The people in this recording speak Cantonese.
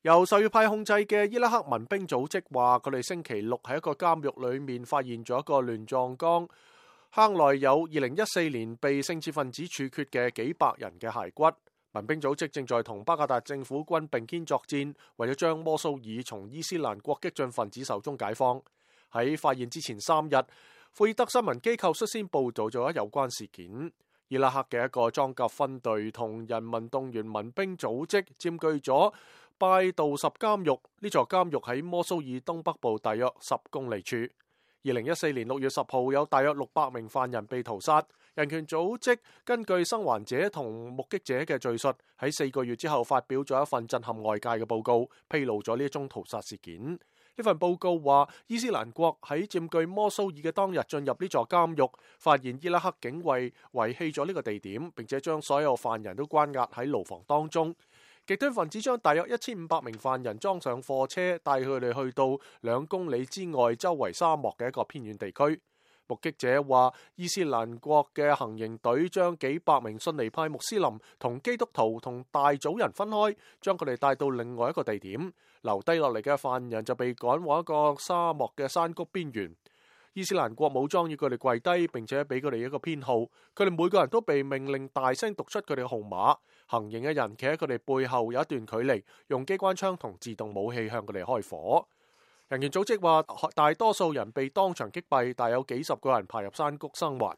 由什葉派控制嘅伊拉克民兵組織話，佢哋星期六喺一個監獄裏面發現咗一個亂葬崗，坑內有2014年被聖戰分子處決嘅幾百人嘅骸骨。民兵組織正在同巴格達政府軍並肩作戰，為咗將摩蘇爾從伊斯蘭國激進分子手中解放。喺發現之前3日，庫爾德新聞機構率先報道咗有關事件。伊拉克嘅一個裝甲分隊同人民動員民兵組織佔據咗拜杜什監獄，呢座監獄喺摩蘇爾東北部大約10公里處。2014年6月10號有大約600名犯人被屠殺。人權組織根據生還者同目擊者嘅敘述，喺4個月之後發表咗一份震撼外界嘅報告，披露咗呢一宗屠殺事件。呢份報告話，伊斯蘭國喺佔據摩蘇爾嘅當日進入呢座監獄，發現伊拉克警衛遺棄咗呢個地點，並且將所有犯人都關押喺牢房當中。極端分子將大約1500名犯人裝上貨車，帶佢哋去到2公里之外周圍沙漠嘅一個偏遠地區。目擊者話，伊斯蘭國嘅行刑隊將幾百名遜尼派穆斯林同基督徒同大組人分開，將佢哋帶到另外一個地點，留低落嚟嘅犯人就被趕往一個沙漠嘅山谷邊緣。伊斯蘭國武裝要佢哋跪低，並且俾佢哋一個編號，佢哋每個人都被命令大聲讀出佢哋嘅號碼。行刑嘅人企喺佢哋背後有一段距離，用機關槍同自動武器向佢哋開火。人權組織話，大多數人被當場擊斃，但有幾十個人爬入山谷生還。